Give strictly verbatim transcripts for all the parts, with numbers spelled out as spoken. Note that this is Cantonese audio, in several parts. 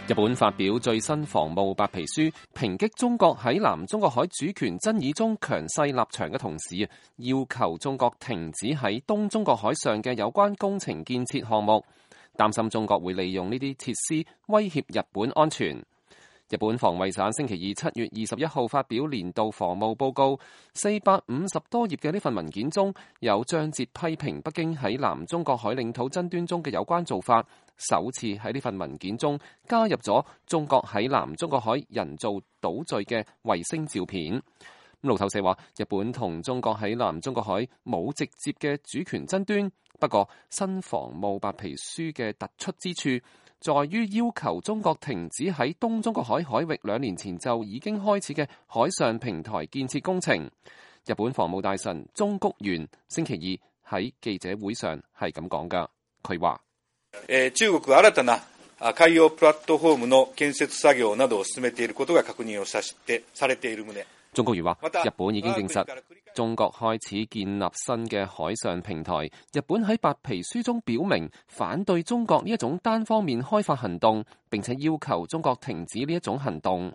日本發表最新防務白皮書，抨擊中國喺南中國海主權爭議中強勢立場嘅同時，要求中國停止喺東中國海上嘅有關工程建設項目，擔心中國會利用呢啲設施威脅日本安全。日本防衛省星期二七月二十一號發表年度防務報告，四百五十多頁嘅呢份文件中有章節批評北京喺南中國海領土爭端中嘅有關做法，首次喺呢份文件中加入咗中國喺南中國海人造島嶼嘅衛星照片。路透社話，日本同中國喺南中國海冇直接嘅主權爭端，不過新防務白皮書嘅突出之處在於要求中國停止喺東中國海海域兩年前就已經開始嘅海上平台建設工程。日本防務大臣中谷元星期二喺記者會上係咁講㗎，佢話：中國新たな海洋プラットフォームの建設作業などを進めていることが確認をされている旨。中谷元話：日本已經證實中國開始建立新嘅海上平台。日本喺白皮書中表明反對中國呢一種單方面開發行動，並且要求中國停止呢一種行動。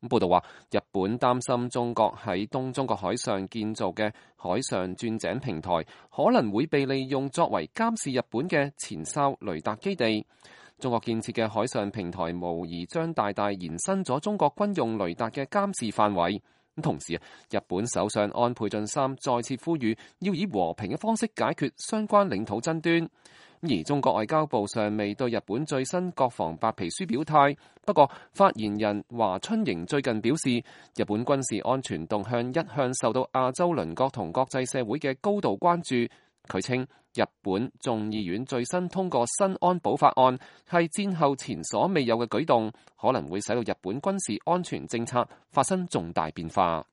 報道話，日本擔心中國喺東中國海上建造嘅海上鑽井平台可能會被利用作為監視日本嘅前哨雷達基地。中國建設嘅海上平台無疑將大大延伸咗中國軍用雷達嘅監視範圍。同時啊，日本首相安倍晉三再次呼籲要以和平嘅方式解決相關領土爭端。而中國外交部尚未對日本最新國防白皮書表態。不過，發言人華春瑩最近表示，日本軍事安全動向一向受到亞洲鄰國同國際社會嘅高度關注。佢稱，日本眾議院最新通過新安保法案，係戰後前所未有嘅舉動，可能會使到日本軍事安全政策發生重大變化。